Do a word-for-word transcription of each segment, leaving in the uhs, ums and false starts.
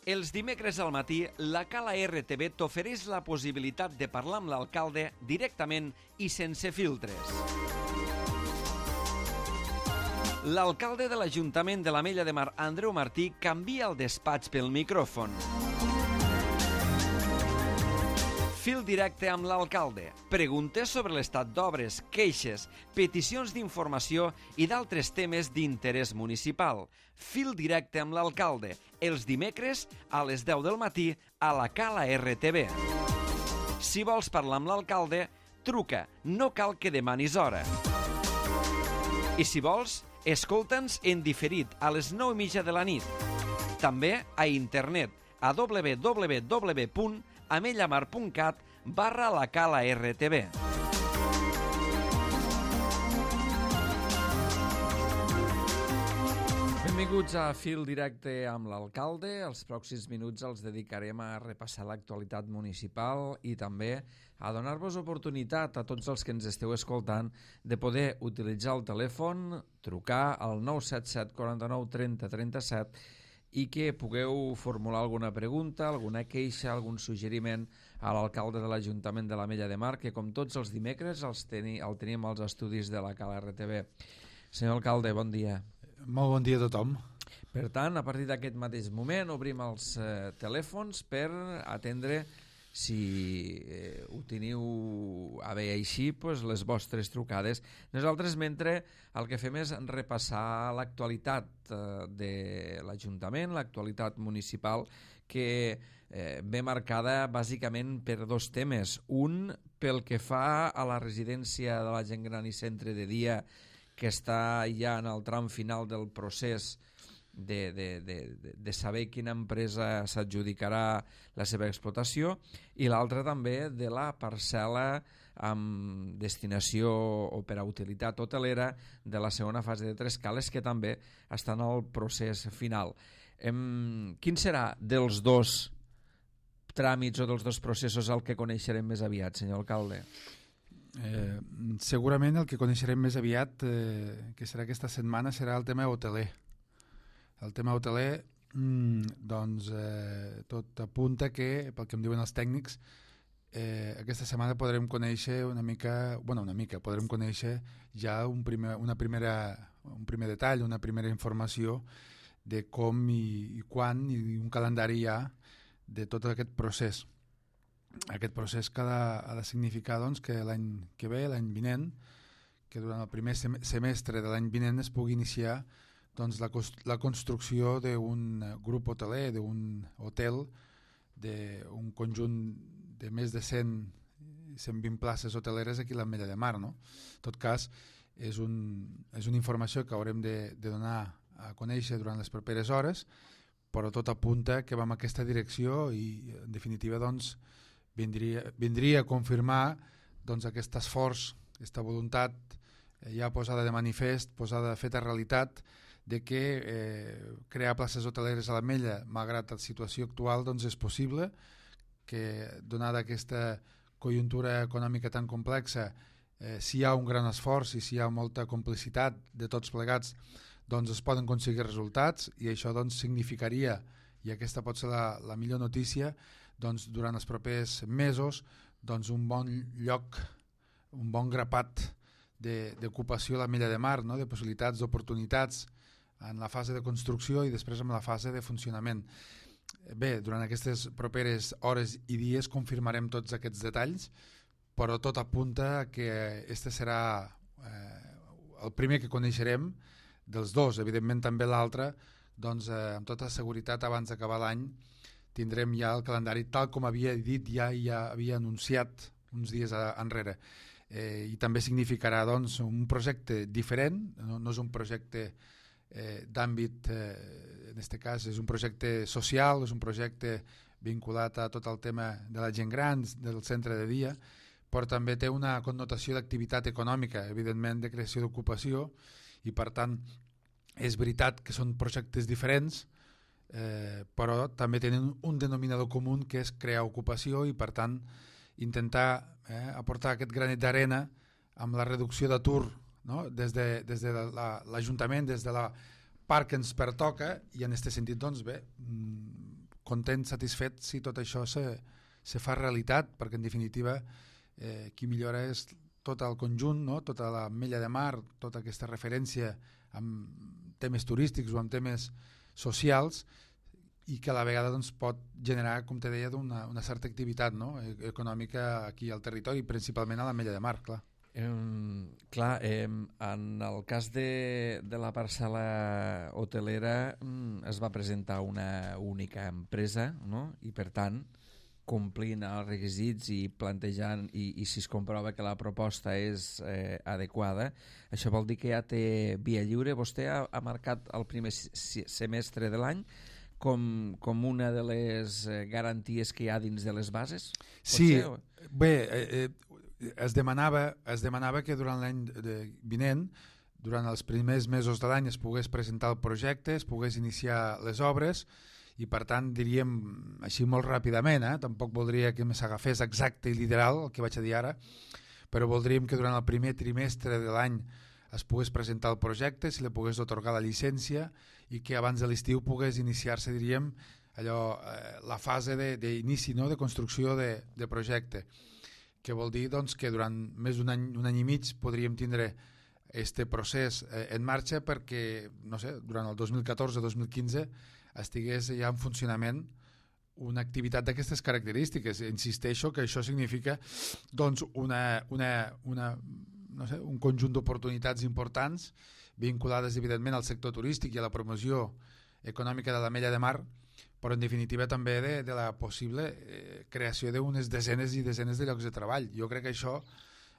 Els dimecres al matí, la Cala R T V t'ofereix la possibilitat de parlar amb l'alcalde directament i sense filtres. L'alcalde de l'Ajuntament de l'Ametlla de Mar, Andreu Martí, canvia el despatx pel micròfon. Fil directe amb l'alcalde. Preguntes sobre l'estat d'obres, queixes, peticions d'informació i d'altres temes d'interès municipal. Fil directe amb l'alcalde. Els dimecres a les deu del matí a la Cala R T V. Si vols parlar amb l'alcalde, truca. No cal que demanis hora. I si vols, escolta'ns en diferit a les nou i mitja de la nit. També a internet a w w w punt amellamar punt cat barra la Cala R T V. Benvinguts a Fil Directe amb l'alcalde. Els pròxims minuts els dedicarem a repassar l'actualitat municipal i també a donar-vos oportunitat a tots els que ens esteu escoltant de poder utilitzar el telèfon, trucar al nou set set quaranta-nou trenta trenta-set i que pugueu formular alguna pregunta, alguna queixa, algun suggeriment a l'alcalde de l'Ajuntament de l'Ametlla de Mar, que com tots els dimecres els teni, el tenim als estudis de la Cala R T V. Senyor alcalde, bon dia. Molt bon dia a tothom. Per tant, a partir d'aquest mateix moment obrim els eh, telèfons per atendre, si eh, ho teniu a bé així, pues, les vostres trucades. Nosaltres, mentre el que fem és repassar l'actualitat eh, de l'Ajuntament, l'actualitat municipal, que eh, ve marcada bàsicament per dos temes. Un, pel que fa a la residència de la gent gran i centre de dia, que està ja en el tram final del procés De, de, de, de saber quina empresa s'adjudicarà la seva explotació, i l'altra també de la parcel·la amb destinació o per a utilitat hotelera de la segona fase de Tres Cales, que també està en el procés final. Em, quin serà dels dos tràmits o dels dos processos el que coneixerem més aviat, senyor alcalde? Eh, segurament el que coneixerem més aviat, eh, que serà aquesta setmana, serà el tema hoteler. El tema hoteler, mmm, doncs, eh, tot apunta que, pel que em diuen els tècnics, eh, aquesta setmana podrem conèixer una mica, bueno, una mica, podrem conèixer ja un primer, una primera, un primer detall, una primera informació de com i, i quan, i un calendari hi ha de tot aquest procés. Aquest procés que ha de, ha de significar doncs, que l'any que ve, l'any vinent, que durant el primer semestre de l'any vinent es pugui iniciar doncs la, la construcció d'un grup hoteler, d'un hotel, d'un conjunt de més de cent, cent vint places hoteleres aquí a l'Ametlla de Mar. No? En tot cas, és, un, és una informació que haurem de, de donar a conèixer durant les properes hores, però tot apunta que va en aquesta direcció i, en definitiva, doncs, vindria, vindria a confirmar doncs, aquest esforç, aquesta voluntat ja posada de manifest, posada feta realitat, de que eh, crear places hoteleres a l'Ametlla, malgrat la situació actual, doncs és possible, que donada aquesta conjuntura econòmica tan complexa, eh, si hi ha un gran esforç i si hi ha molta complicitat de tots plegats, doncs es poden aconseguir resultats, i això doncs significaria, i aquesta pot ser la, la millor notícia, doncs durant els propers mesos, doncs un bon lloc, un bon grapat d'ocupació a l'Ametlla de Mar, no? De possibilitats, d'oportunitats en la fase de construcció i després en la fase de funcionament. Bé, durant aquestes properes hores i dies confirmarem tots aquests detalls, però tot apunta que este serà eh, el primer que coneixerem dels dos. Evidentment també l'altre, doncs eh, amb tota seguretat abans d'acabar l'any tindrem ja el calendari tal com havia dit, ja, ja havia anunciat uns dies enrere. Eh, i també significarà doncs, un projecte diferent, no, no és un projecte eh, d'àmbit, eh, en aquest cas és un projecte social, és un projecte vinculat a tot el tema de la gent gran, del centre de dia, però també té una connotació d'activitat econòmica, evidentment de creació d'ocupació, i per tant és veritat que són projectes diferents, eh, però també tenen un denominador comú que és crear ocupació i per tant intentar eh, aportar aquest granet d'arena amb la reducció d'atur, no? des de, des de l'Ajuntament, des de la part que ens pertoca, i en aquest sentit doncs bé, content, satisfet si tot això se, se fa realitat, perquè en definitiva eh, qui millora és tot el conjunt, no? Tota l'Ametlla de Mar, tota aquesta referència amb temes turístics o amb temes socials, i que a la vegada doncs, pot generar, com te deia, una, una certa activitat, no? E- econòmica aquí al territori, principalment a l'Ametlla de Mar, clar. Eh, clar, eh, en el cas de, de la parcel·la hotelera mm, es va presentar una única empresa, no? I per tant, complint els requisits i plantejant, i, i si es comprova que la proposta és eh, adequada, això vol dir que ja té via lliure. Vostè ha, ha marcat el primer semestre de l'any com, com una de les eh, garanties que hi ha dins de les bases? Sí, ser, o... bé, eh, eh, es, demanava, es demanava que durant l'any vinent, durant els primers mesos de l'any, es pogués presentar el projecte, es pogués iniciar les obres, i per tant diríem així molt ràpidament, eh? Tampoc voldria que s'agafés exacte i literal el que vaig a dir ara, però voldríem que durant el primer trimestre de l'any es pogués presentar el projecte, si li pogués otorgar la llicència i que abans de l'estiu pogués iniciar-se, diríem, allò, eh, la fase d'inici, no? De construcció de, de projecte, que vol dir doncs, que durant més d'un any, un any i mig podríem tindre este procés eh, en marxa perquè, no sé, durant el dos mil catorze dos mil quinze estigués ja en funcionament una activitat d'aquestes característiques. Insisteixo que això significa doncs, una, una, una, no sé, un conjunt d'oportunitats importants vinculades evidentment al sector turístic i a la promoció econòmica de l'Ametlla de Mar, però en definitiva també de, de la possible eh, creació d'unes desenes i desenes de llocs de treball. Jo crec que això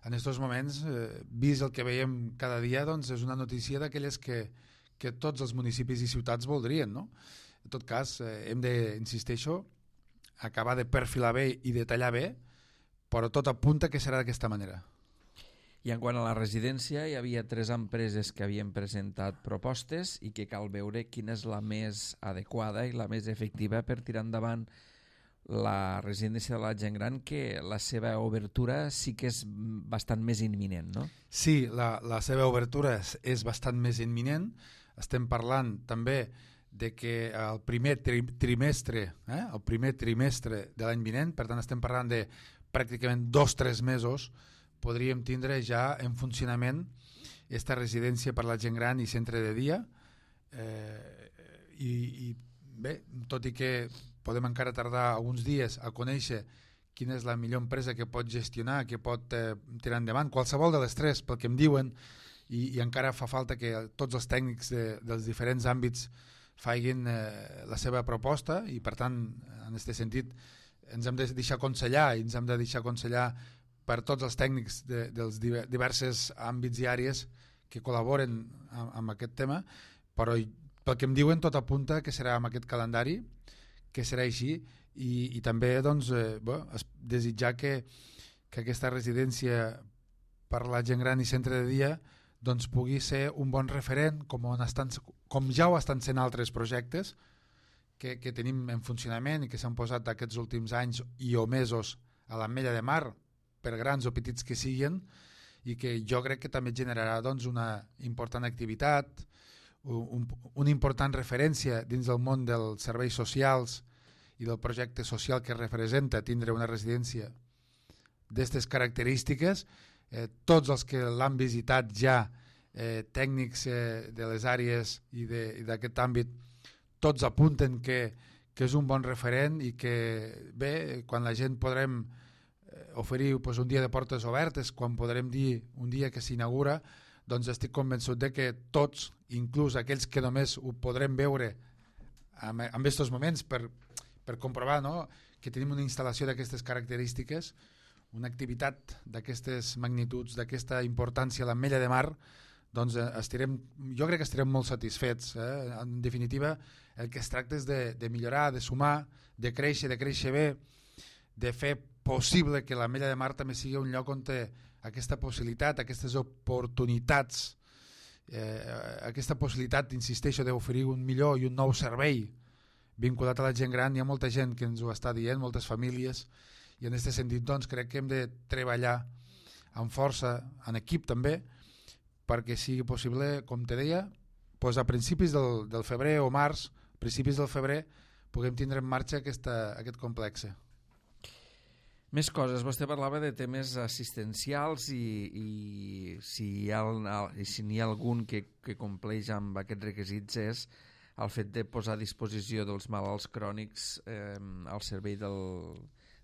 en aquests moments, eh, vist el que veiem cada dia, doncs és una notícia d'aquelles que, que tots els municipis i ciutats voldrien, no? En tot cas, eh, hem de, insisteixo, acabar de perfilar bé i de tallar bé, però tot apunta que serà d'aquesta manera. I en quant a la residència, hi havia tres empreses que havien presentat propostes i que cal veure quina és la més adequada i la més efectiva per tirar endavant la residència de la gent gran, que la seva obertura sí que és bastant més imminent, no? Sí, la, la seva obertura és, és bastant més imminent. Estem parlant també de que el primer tri trimestre, eh, el primer trimestre de l'any vinent, per tant estem parlant de pràcticament dos o tres mesos, podríem tindre ja en funcionament esta residència per la gent gran i centre de dia, eh, i, i bé, tot i que podem encara tardar alguns dies a conèixer quina és la millor empresa que pot gestionar, que pot eh, tirar endavant, qualsevol de les tres, pel que em diuen, i, i encara fa falta que tots els tècnics de, dels diferents àmbits facin eh, la seva proposta, i per tant, en aquest sentit, ens hem de deixar aconsellar i ens hem de deixar aconsellar per tots els tècnics de, dels diversos àmbits i àrees que col·laboren amb, amb aquest tema, però pel que em diuen tot apunta que serà amb aquest calendari, que serà així, i, i també doncs, eh, bo, desitjar que, que aquesta residència per la gent gran i centre de dia doncs, pugui ser un bon referent, com, on estan, com ja ho estan sent altres projectes que, que tenim en funcionament i que s'han posat aquests últims anys i o mesos a l'Ametlla de Mar, per grans o petits que siguin, i que jo crec que també generarà doncs, una important activitat, un, una important referència dins del món dels serveis socials i del projecte social que representa tindre una residència d'aquestes característiques. Eh, tots els que l'han visitat ja, eh, tècnics eh, de les àrees i d'aquest àmbit, tots apunten que, que és un bon referent i que bé, quan la gent podrem oferir pues, un dia de portes obertes, quan podrem dir un dia que s'inaugura, doncs estic convençut de que tots, inclús aquells que només ho podrem veure en, en aquests moments per, per comprovar, no?, que tenim una instal·lació d'aquestes característiques, una activitat d'aquestes magnituds, d'aquesta importància a l'Ametlla de Mar, doncs estirem, jo crec que estarem molt satisfets. Eh? En definitiva, el que es tracta és de, de millorar, de sumar, de créixer, de créixer bé, de fer possible que l'Ametlla de Mar també sigui un lloc on té aquesta possibilitat, aquestes oportunitats, eh, aquesta possibilitat, insisteixo, d'oferir un millor i un nou servei vinculat a la gent gran. Hi ha molta gent que ens ho està dient, moltes famílies, i en aquest sentit doncs, crec que hem de treballar amb força, en equip també, perquè sigui possible, com te deia, doncs a principis del, del febrer o març, principis del febrer, puguem tindre en marxa aquesta, aquest complex. Més coses, vostè parlava de temes assistencials i, i si hi ha, si n'hi ha algun que, que compleix amb aquests requisits és el fet de posar a disposició dels malalts crònics eh, al servei del,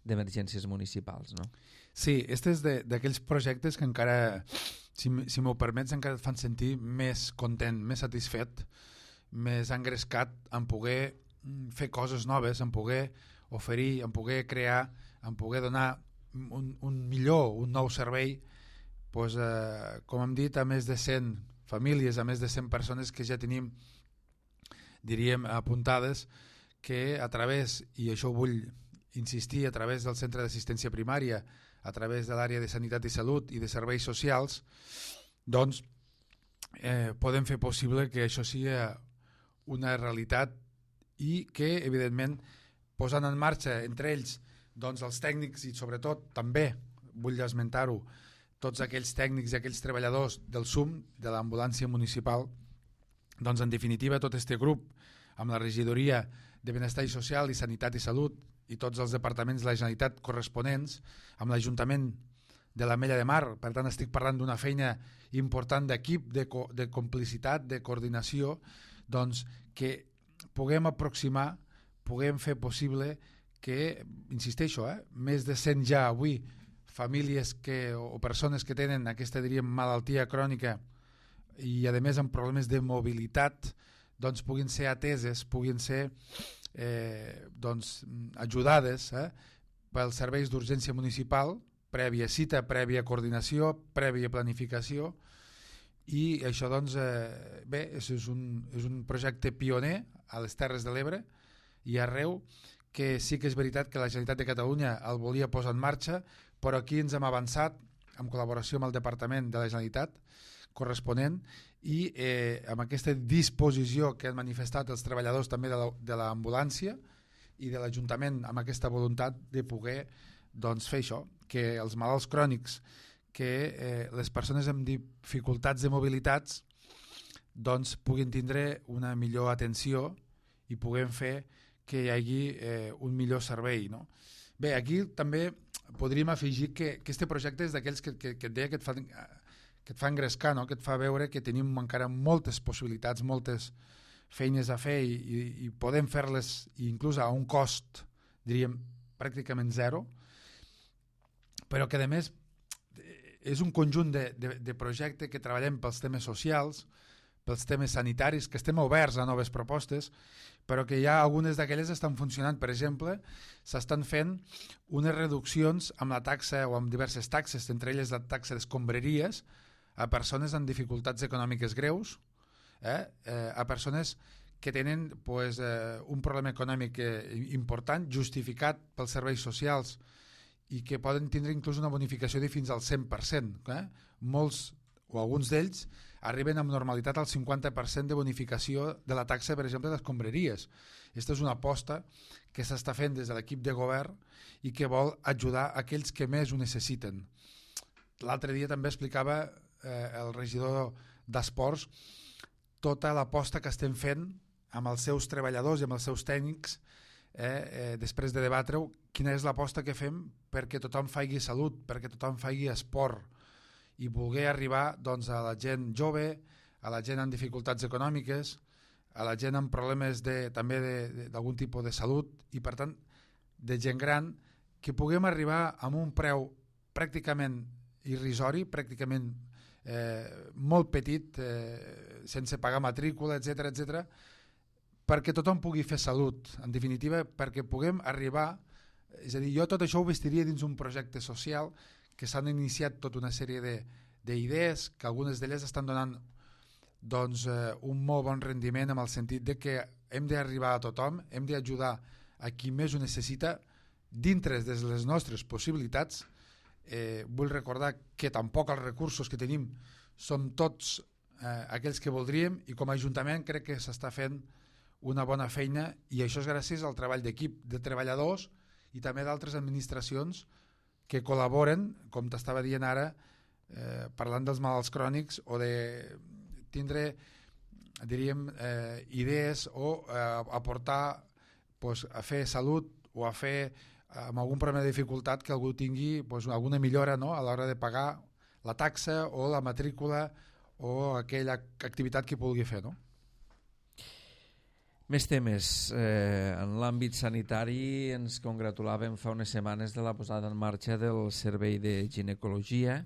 d'emergències municipals, no? Sí, aquest és d'aquells projectes que encara, si, si m'ho permets, encara et fan sentir més content, més satisfet, més engrescat en poder fer coses noves, en poder oferir, en poder crear, en poder donar un, un millor, un nou servei, doncs, eh, com hem dit, a més de cent famílies, a més de cent persones que ja tenim, diríem, apuntades, que a través, i això vull insistir, a través del centre d'assistència primària, a través de l'àrea de sanitat i salut i de serveis socials, doncs eh, podem fer possible que això sigui una realitat i que, evidentment, posant en marxa entre ells doncs els tècnics i sobretot també, vull esmentar-ho, tots aquells tècnics i aquells treballadors del S U M, de l'ambulància municipal, doncs en definitiva tot aquest grup amb la regidoria de Benestar i Social i Sanitat i Salut i tots els departaments de la Generalitat corresponents, amb l'Ajuntament de l'Ametlla de Mar, per tant estic parlant d'una feina important d'equip, de, co de complicitat, de coordinació, doncs que puguem aproximar, puguem fer possible que, insisteixo, eh, més de cent ja avui famílies que, o persones que tenen aquesta, diríem, malaltia crònica i a més amb problemes de mobilitat, doncs puguin ser ateses, puguin ser eh, doncs, ajudades eh, pels serveis d'urgència municipal, prèvia cita, prèvia coordinació, prèvia planificació, i això doncs, eh, bé, és un, és un projecte pioner a les Terres de l'Ebre i arreu, que sí que és veritat que la Generalitat de Catalunya el volia posar en marxa, però aquí ens hem avançat en col·laboració amb el Departament de la Generalitat corresponent i eh, amb aquesta disposició que han manifestat els treballadors també de l'ambulància i de l'Ajuntament amb aquesta voluntat de poder doncs, fer això, que els malalts crònics, que eh, les persones amb dificultats de mobilitats doncs, puguin tindre una millor atenció i puguem fer que hi hagi eh, un millor servei, no? Bé, aquí també podríem afegir que, que este projecte és d'aquells que, que, que et deia que et fa, que et fa engrescar, no? Que et fa veure que tenim encara moltes possibilitats, moltes feines a fer i, i, i podem fer-les inclús a un cost, diríem, pràcticament zero, però que a més és un conjunt de, de, de projecte que treballem pels temes socials, pels temes sanitaris, que estem oberts a noves propostes, però que ja algunes d'aquelles estan funcionant. Per exemple, s'estan fent unes reduccions amb la taxa o amb diverses taxes, entre elles la taxa d'escombraries, a persones amb dificultats econòmiques greus, eh? Eh, a persones que tenen pues, eh, un problema econòmic eh, important, justificat pels serveis socials, i que poden tindre inclús una bonificació de fins al cent per cent. Eh? Molts o alguns d'ells arriben amb normalitat al cinquanta per cent de bonificació de la taxa, per exemple, d'escombraries. Aquesta és una aposta que s'està fent des de l'equip de govern i que vol ajudar aquells que més ho necessiten. L'altre dia també explicava eh, el regidor d'Esports tota l'aposta que estem fent amb els seus treballadors i amb els seus tècnics eh, eh, després de debatre-ho, quina és l'aposta que fem perquè tothom faci salut, perquè tothom faci esport, i voler arribar doncs, a la gent jove, a la gent amb dificultats econòmiques, a la gent amb problemes de, també d'algun tipus de salut i per tant de gent gran, que puguem arribar amb un preu pràcticament irrisori, pràcticament eh, molt petit, eh, sense pagar matrícula, etcètera, etcètera, perquè tothom pugui fer salut, en definitiva, perquè puguem arribar, és a dir, jo tot això ho vestiria dins un projecte social que s'han iniciat tota una sèrie d'idees, que algunes d'elles estan donant doncs, eh, un molt bon rendiment en el sentit de que hem d'arribar a tothom, hem d'ajudar a qui més ho necessita dintre de les nostres possibilitats. Eh, vull recordar que tampoc els recursos que tenim som tots eh, aquells que voldríem i com a Ajuntament crec que s'està fent una bona feina i això és gràcies al treball d'equip de treballadors i també d'altres administracions que col·laboren, com t'estava dient ara, eh, parlant dels malalts crònics o de tindre, diríem, eh, idees o eh, aportar pues, a fer salut o a fer amb algun problema de dificultat que algú tingui pues, alguna millora, no?, a l'hora de pagar la taxa o la matrícula o aquella activitat que pugui fer, no? Més temes. Eh, en l'àmbit sanitari ens congratulàvem fa unes setmanes de la posada en marxa del servei de ginecologia,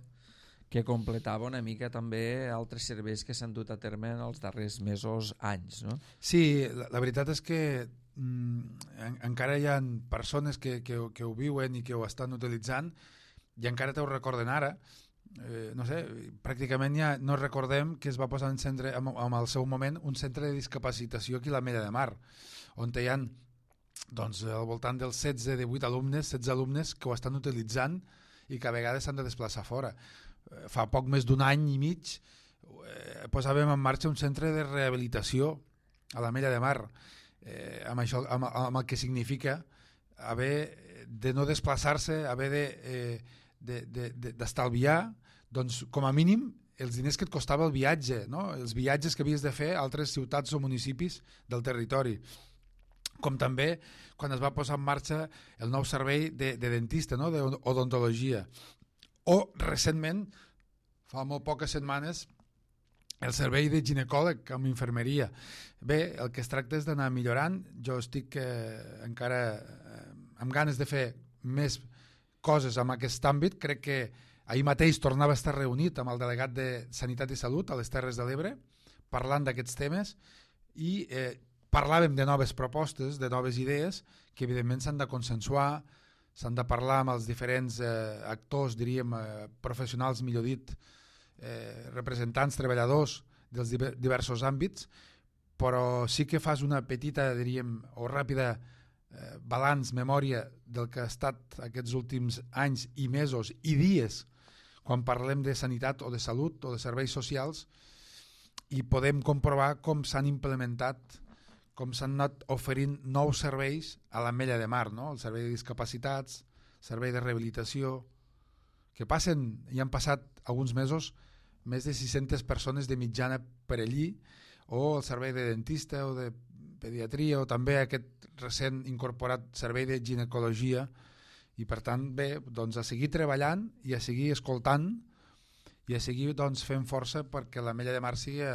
que completava una mica també altres serveis que s'han dut a terme en els darrers mesos, anys, no? Sí, la, la veritat és que mm, en, encara hi ha persones que, que, que ho viuen i que ho estan utilitzant i encara te ho recorden ara. Eh, no sé, pràcticament ja no recordem que es va posar en centre, en, en el seu moment un centre de discapacitació aquí a l'Ametlla de Mar, on hi ha doncs, al voltant dels setze, divuit alumnes, setze alumnes que ho estan utilitzant i que a vegades s'han de desplaçar fora. Eh, fa poc més d'un any i mig eh, posàvem en marxa un centre de rehabilitació a l'Ametlla de Mar, eh, amb, això, amb, amb el que significa haver de no desplaçar-se, haver de... Eh, d'estalviar doncs, com a mínim els diners que et costava el viatge, no? Els viatges que havies de fer a altres ciutats o municipis del territori, com també quan es va posar en marxa el nou servei de, de dentista, no?, d'odontologia, o recentment, fa molt poques setmanes, el servei de ginecòleg amb infermeria. Bé, el que es tracta és d'anar millorant. Jo estic eh, encara eh, amb ganes de fer més coses en aquest àmbit. Crec que ahir mateix tornava a estar reunit amb el delegat de Sanitat i Salut a les Terres de l'Ebre parlant d'aquests temes i eh, parlàvem de noves propostes, de noves idees que evidentment s'han de consensuar, s'han de parlar amb els diferents eh, actors, diríem, eh, professionals, millor dit, eh, representants, treballadors dels diversos àmbits, però sí que fas una petita, diríem, o ràpida Eh, balanç, memòria del que ha estat aquests últims anys i mesos i dies quan parlem de sanitat o de salut o de serveis socials i podem comprovar com s'han implementat, com s'han anat oferint nous serveis a l'Ametlla de Mar, no? El servei de discapacitats, el servei de rehabilitació, que passen, i han passat alguns mesos, més de sis-centes persones de mitjana per allí, o el servei de dentista o de pediatria, o també aquest recent incorporat servei de ginecologia, i per tant, bé, doncs a seguir treballant i a seguir escoltant i a seguir doncs, fent força perquè l'Ametlla de Mar sigui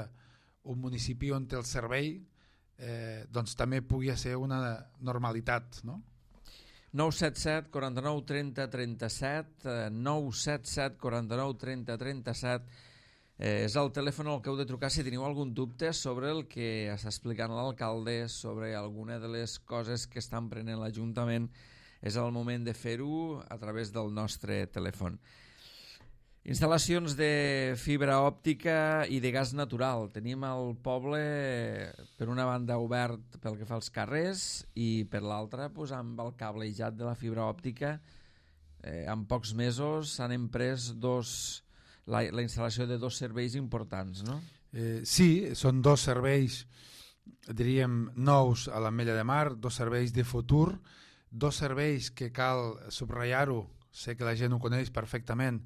un municipi on el servei eh, doncs, també pugui ser una normalitat, no? nou set set, quaranta-nou, trenta, trenta-set, nou set set, quaranta-nou, trenta, trenta-set, Eh, és el telèfon al que heu de trucar si teniu algun dubte sobre el que està explicant l'alcalde, sobre alguna de les coses que estan prenent l'Ajuntament. És el moment de fer-ho a través del nostre telèfon. Instal·lacions de fibra òptica i de gas natural. Tenim al poble, per una banda, obert pel que fa als carrers i per l'altra, pues, amb el cablejat de la fibra òptica. Eh, en pocs mesos s'han emprès dos... La, la instal·lació de dos serveis importants, no? Eh, sí, són dos serveis, diríem, nous a l'Ametlla de Mar, dos serveis de futur, dos serveis que cal subratllar-ho, sé que la gent ho coneix perfectament,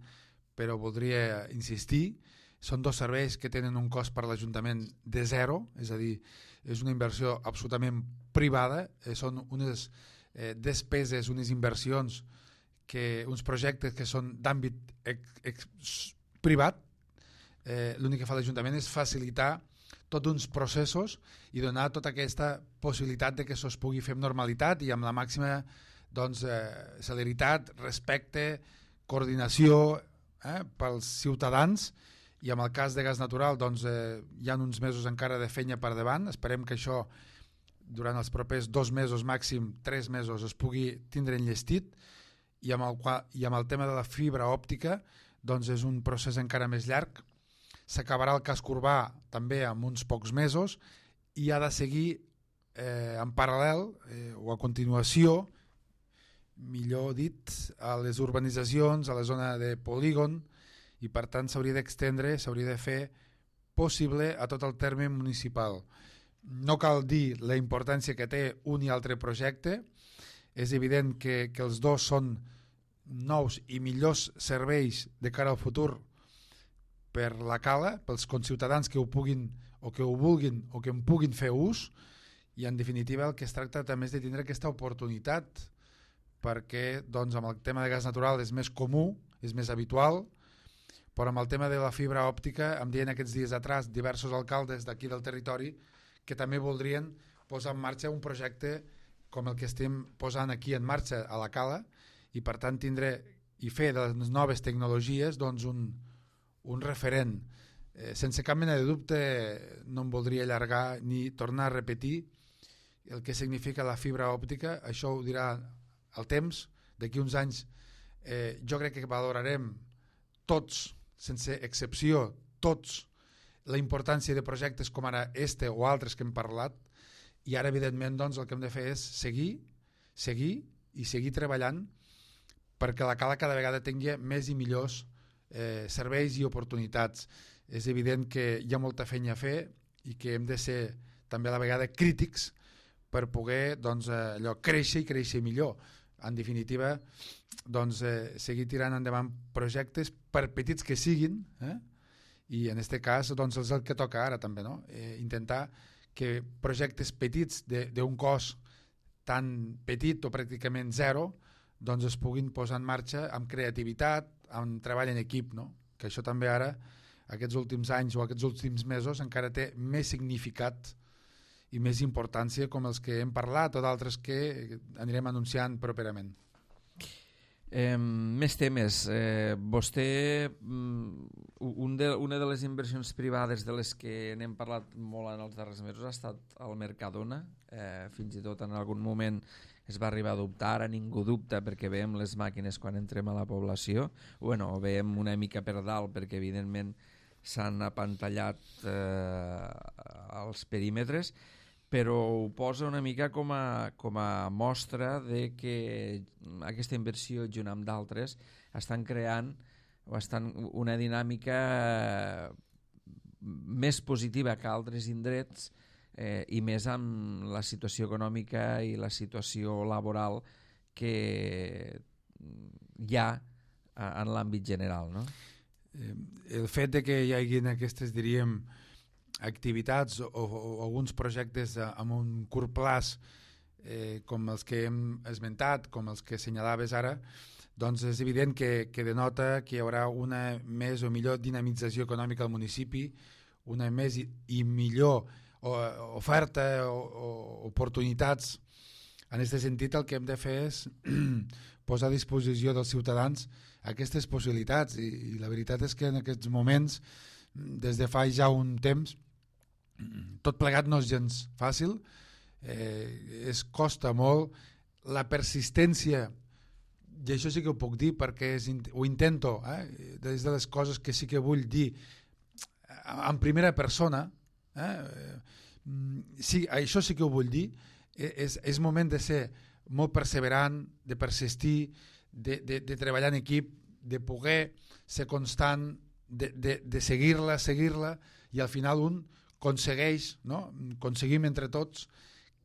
però voldria insistir, són dos serveis que tenen un cost per l'Ajuntament de zero, és a dir, és una inversió absolutament privada, eh, són unes eh, despeses, unes inversions, que, uns projectes que són d'àmbit ex, ex, privat, eh, l'únic que fa l'Ajuntament és facilitar tots uns processos i donar tota aquesta possibilitat de que això es pugui fer amb normalitat i amb la màxima doncs, eh, celeritat, respecte, coordinació eh, pels ciutadans, i en el cas de gas natural doncs, eh, hi ha uns mesos encara de feina per davant. Esperem que això durant els propers dos mesos, màxim tres mesos, es pugui tindre enllestit, i amb el, i amb el tema de la fibra òptica doncs és un procés encara més llarg. S'acabarà el casc urbà també en uns pocs mesos i ha de seguir eh, en paral·lel eh, o a continuació, millor dit, a les urbanitzacions, a la zona de polígon, i per tant s'hauria d'extendre, s'hauria de fer possible a tot el terme municipal. No cal dir la importància que té un i altre projecte. És evident que, que els dos són nous i millors serveis de cara al futur per la cala, pels conciutadans que ho puguin o que ho vulguin o que en puguin fer ús, i en definitiva el que es tracta també és de tindre aquesta oportunitat perquè doncs, amb el tema de gas natural és més comú, és més habitual, però amb el tema de la fibra òptica em deien aquests dies atrás diversos alcaldes d'aquí del territori que també voldrien posar en marxa un projecte com el que estem posant aquí en marxa a la Cala i per tant tindre i fer de les noves tecnologies doncs, un, un referent. Eh, sense cap mena de dubte no em voldria allargar ni tornar a repetir el que significa la fibra òptica, això ho dirà el temps, d'aquí uns anys eh, jo crec que valorarem tots, sense excepció, tots, la importància de projectes com ara este o altres que hem parlat i ara evidentment doncs, el que hem de fer és seguir, seguir i seguir treballant perquè la Cala cada vegada tingui més i millors eh, serveis i oportunitats. És evident que hi ha molta feina a fer i que hem de ser també a la vegada crítics per poder doncs, allò, créixer i créixer millor. En definitiva, doncs, eh, seguir tirant endavant projectes, per petits que siguin, eh? I en aquest cas doncs, és el que toca ara també, no? eh, intentar que projectes petits d'un cos tan petit o pràcticament zero doncs es puguin posar en marxa amb creativitat, amb treball en equip, no? Que això també ara, aquests últims anys o aquests últims mesos, encara té més significat i més importància com els que hem parlat o d'altres que anirem anunciant properament. Eh, més temes. Eh, vostè, un de, una de les inversions privades de les que n'hem parlat molt en els darrers mesos ha estat el Mercadona. Eh, fins i tot en algun moment es va arribar a dubtar, ara ningú dubta perquè veiem les màquines quan entrem a la població, bueno, o veiem una mica per dalt perquè evidentment s'han apantallat eh, els perímetres, però ho posa una mica com a, com a mostra de que aquesta inversió junt amb d'altres estan creant o estan una dinàmica més positiva que altres indrets eh, i més amb la situació econòmica i la situació laboral que hi ha en l'àmbit general, no? Eh, el fet de que hi hagi aquestes, diríem, activitats o, o, o alguns projectes amb un curt plaç eh, com els que hem esmentat, com els que assenyalaves ara, doncs és evident que, que denota que hi haurà una més o millor dinamització econòmica al municipi, una més i, i millor o, oferta o, o oportunitats. En aquest sentit el que hem de fer és posar a disposició dels ciutadans aquestes possibilitats i, i la veritat és que en aquests moments, des de fa ja un temps, tot plegat no és gens fàcil, eh, es costa molt, la persistència, i això sí que ho puc dir perquè és, ho intento, eh, des de les coses que sí que vull dir en primera persona, eh, sí, això sí que ho vull dir, és, és moment de ser molt perseverant, de persistir, de, de, de treballar en equip, de poder ser constant, de, de, de seguir-la, seguir-la, i al final un aconsegueix, no? Aconseguim entre tots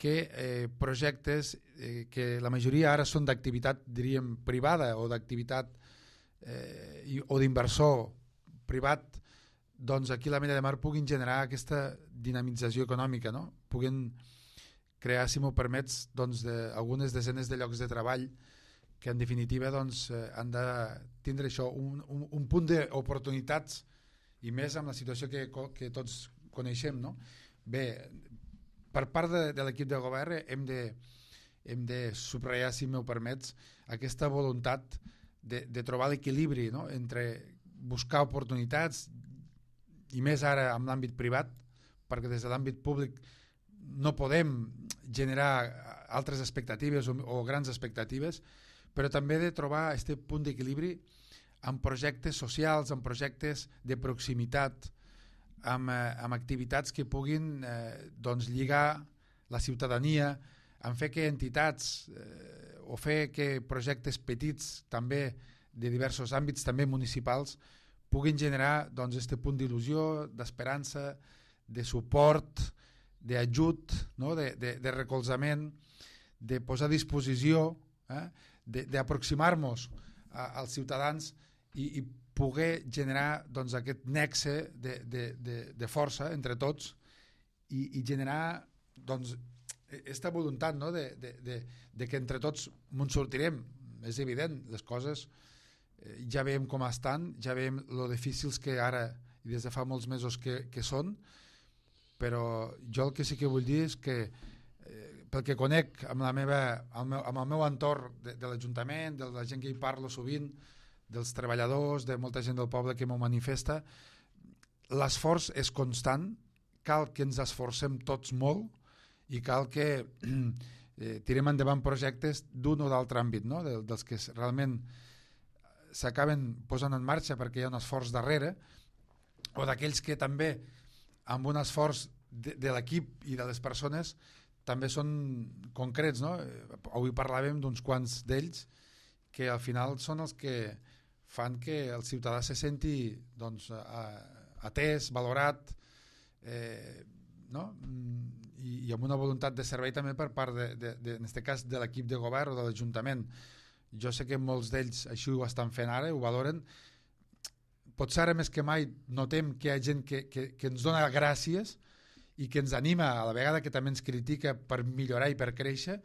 que eh, projectes eh, que la majoria ara són d'activitat, diríem, privada o d'activitat eh, o d'inversor privat, doncs aquí a la Mella de Mar puguin generar aquesta dinamització econòmica, no? Puguin crear, si m'ho permets, doncs, de, algunes desenes de llocs de treball que en definitiva doncs, eh, han de tindre això, un, un, un punt d'oportunitats i més amb la situació que, que tots coneixem, no? Bé, per part de, de l'equip de govern hem de, hem de subratllar, si m'ho permets, aquesta voluntat de, de trobar l'equilibri, no? Entre buscar oportunitats i més ara en l'àmbit privat, perquè des de l'àmbit públic no podem generar altres expectatives o, o grans expectatives, però també de trobar aquest punt d'equilibri amb projectes socials, amb projectes de proximitat, amb, eh, amb activitats que puguin eh, doncs lligar la ciutadania, en fer que entitats eh, o fer que projectes petits també de diversos àmbits, també municipals, puguin generar doncs, este punt d'il·lusió, d'esperança, de suport, d'ajut, no? de, de, de recolzament, de posar a disposició, eh? d'aproximar-nos als ciutadans i, i poder generar doncs, aquest nexe de, de, de, de força entre tots i, i generar doncs, aquesta voluntat, no? de, de, de, de que entre tots ens sortirem. És evident, les coses eh, ja veiem com estan, ja veiem lo difícils que ara i des de fa molts mesos que, que són, però jo el que sí que vull dir és que eh, pel que conec amb, la meva, amb, el, amb el meu entorn de, de l'Ajuntament, de la gent que hi parlo sovint, dels treballadors, de molta gent del poble que m'ho manifesta, l'esforç és constant, cal que ens esforcem tots molt i cal que eh, tirem endavant projectes d'un o d'altre àmbit, no? de, dels que realment s'acaben posant en marxa perquè hi ha un esforç darrere, o d'aquells que també amb un esforç de, de l'equip i de les persones també són concrets, no? Avui parlàvem d'uns quants d'ells que al final són els que fan que el ciutadà se senti doncs, atès, valorat, eh, no? I, i amb una voluntat de servei també per part de, de, de, en aquest cas de l'equip de govern o de l'Ajuntament. Jo sé que molts d'ells així ho estan fent ara, ho valoren. Potser ara més que mai notem que hi ha gent que, que, que ens dona gràcies i que ens anima a la vegada que també ens critica per millorar i per créixer.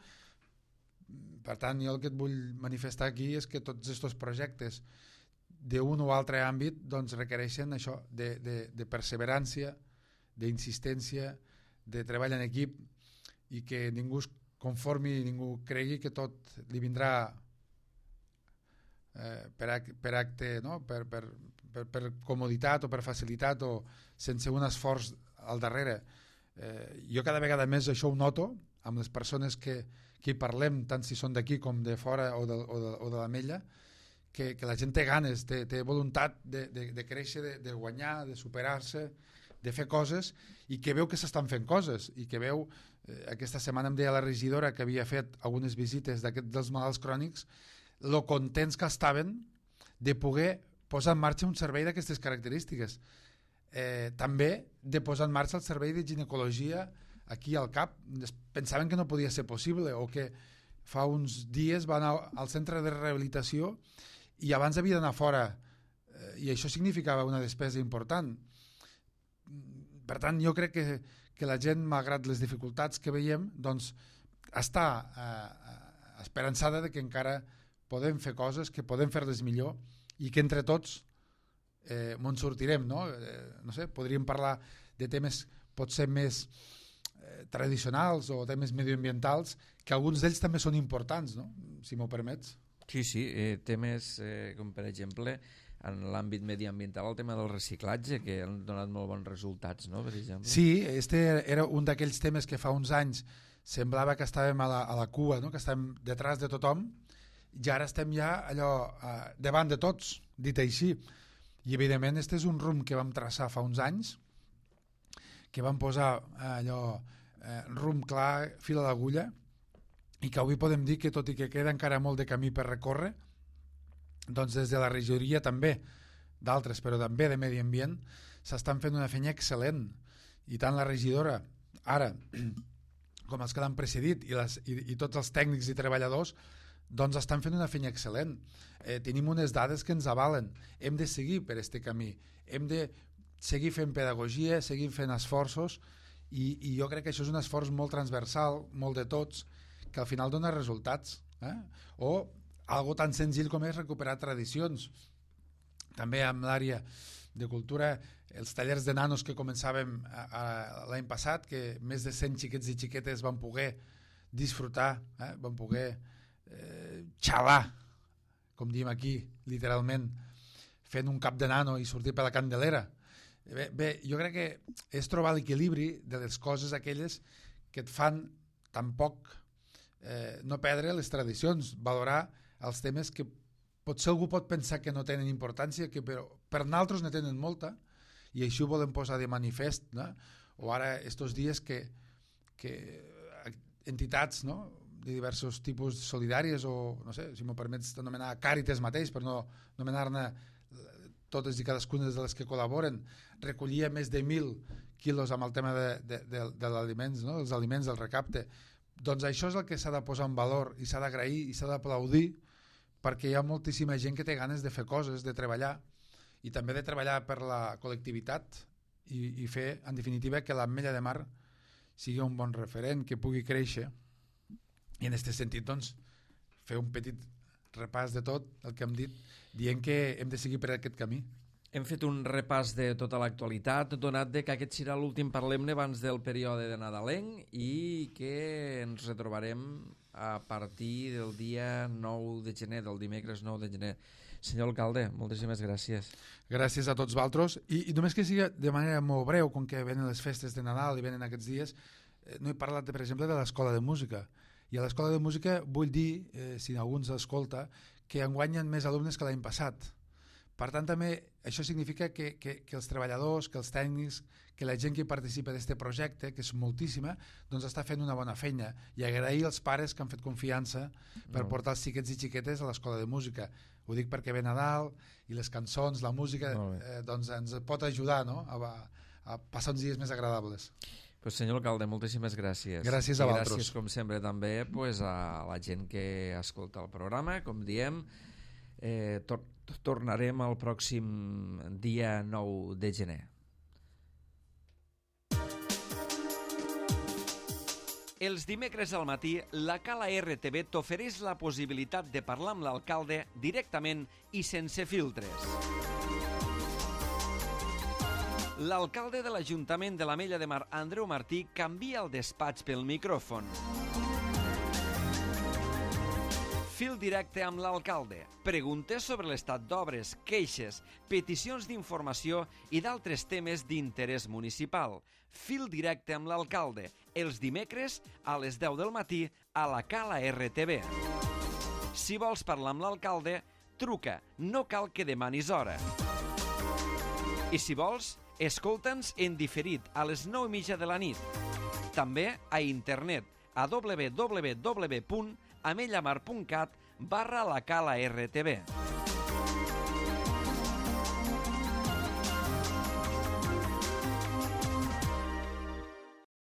Per tant, jo el que et vull manifestar aquí és que tots aquests projectes d'un o altre àmbit doncs, requereixen això de, de, de perseverància, d'insistència, de treball en equip i que ningú es conformi i ningú cregui que tot li vindrà eh, per, ac per acte, no? per, per, per, per comoditat o per facilitat o sense un esforç al darrere. Eh, jo cada vegada més això ho noto amb les persones que, que hi parlem, tant si són d'aquí com de fora o de, o de, o de l'Ametlla, que, que la gent té ganes, té, té voluntat de, de, de créixer, de, de guanyar, de superar-se, de fer coses i que veu que s'estan fent coses i que veu, eh, aquesta setmana em deia la regidora que havia fet algunes visites dels malalts crònics, lo contents que estaven de poder posar en marxa un servei d'aquestes característiques. Eh, també de posar en marxa el servei de ginecologia aquí al CAP. Pensaven que no podia ser possible o que fa uns dies va anar al centre de rehabilitació i abans havia d'anar fora eh, i això significava una despesa important. Per tant, jo crec que, que la gent, malgrat les dificultats que veiem, doncs està eh, esperançada de que encara podem fer coses, que podem fer-les millor i que entre tots eh, ens sortirem, no? Eh, no sé, podríem parlar de temes potser més eh, tradicionals o temes medioambientals, que alguns d'ells també són importants, no? Si m'ho permets. Sí, sí, eh, temes eh, com per exemple en l'àmbit mediambiental el tema del reciclatge, que han donat molt bons resultats, no? Per exemple. Sí, este era un d'aquells temes que fa uns anys semblava que estàvem a la, a la cua, no? Que estàvem detrás de tothom, i ara estem ja allò eh, davant de tots, dit així. I evidentment este és un rumb que vam traçar fa uns anys, que vam posar eh, allò eh, rumb clar, fil a l'agulla, i que avui podem dir que tot i que queda encara molt de camí per recórrer, doncs des de la regidoria també, d'altres, però també de Medi Ambient, s'estan fent una feina excel·lent. I tant la regidora, ara, com els que l'han precedit, i, les, i, i tots els tècnics i treballadors, doncs estan fent una feina excel·lent. Eh, tenim unes dades que ens avalen. Hem de seguir per aquest camí. Hem de seguir fent pedagogia, seguir fent esforços, i, i jo crec que això és un esforç molt transversal, molt de tots, que al final dona resultats. Eh? O algo tan senzill com és recuperar tradicions. També amb l'àrea de cultura, els tallers de nanos que començàvem l'any passat, que més de cent xiquets i xiquetes van poder disfrutar, eh? van poder eh, xalar, com diem aquí, literalment, fent un cap de nano i sortir per la Candelera. Bé, bé, jo crec que és trobar l'equilibri de les coses aquelles que et fan tampoc eh, no perdre les tradicions, valorar els temes que potser algú pot pensar que no tenen importància, que però per nosaltres ne tenen molta, i això ho volem posar de manifest, no? O ara estos dies que, que entitats, no? De diversos tipus solidàries o, no sé, si m'ho permets anomenar Càritas mateix, per no anomenar-ne totes i cadascuna de les que col·laboren, recollia més de mil quilos amb el tema de, de, de, de l'aliments, no? Els aliments, del recapte. Doncs això és el que s'ha de posar en valor i s'ha d'agrair i s'ha d'aplaudir, perquè hi ha moltíssima gent que té ganes de fer coses, de treballar, i també de treballar per la col·lectivitat i, i fer, en definitiva, que l'Ametlla de Mar sigui un bon referent, que pugui créixer, i en aquest sentit, doncs, fer un petit repàs de tot el que hem dit, dient que hem de seguir per aquest camí. Hem fet un repàs de tota l'actualitat, donat de que aquest serà l'últim parlem-ne abans del període de nadalenc i que ens retrobarem a partir del dia nou de gener, del dimecres nou de gener. Senyor alcalde, moltíssimes gràcies. Gràcies a tots vosaltres. I, i només que sigui de manera molt breu, com que venen les festes de Nadal i venen aquests dies, eh, no he parlat, de, per exemple, de l'escola de música. I a l'escola de música vull dir, eh, si algú ens escolta, que enguany hi ha més alumnes que l'any passat. Per tant, també això significa que, que, que els treballadors, que els tècnics, que la gent que participa d'aquest projecte, que és moltíssima, doncs està fent una bona feina. I agrair als pares que han fet confiança per no. portar els xiquets i xiquetes a l'escola de música. Ho dic perquè ve Nadal i les cançons, la música, eh, doncs ens pot ajudar, no? a, a passar uns dies més agradables. Pues senyor alcalde, moltíssimes gràcies. Gràcies a I vosaltres. gràcies, com sempre, també pues, a la gent que escolta el programa. Com diem, eh, tor tornarem el pròxim dia nou de gener. Els dimecres al matí, la Cala R T V t'ofereix la possibilitat de parlar amb l'alcalde directament i sense filtres. L'alcalde de l'Ajuntament de l'Ametlla de Mar, Andreu Martí, canvia el despatx pel micròfon. Fil directe amb l'alcalde. Preguntes sobre l'estat d'obres, queixes, peticions d'informació i d'altres temes d'interès municipal. Fil directe amb l'alcalde. Els dimecres a les deu del matí a la Cala R T V. Si vols parlar amb l'alcalde, truca. No cal que demanis hora. I si vols, escolta'ns en diferit a les nou i mitja de la nit. També a internet a w w w punt amellamar punt cat barra la Cala R T V.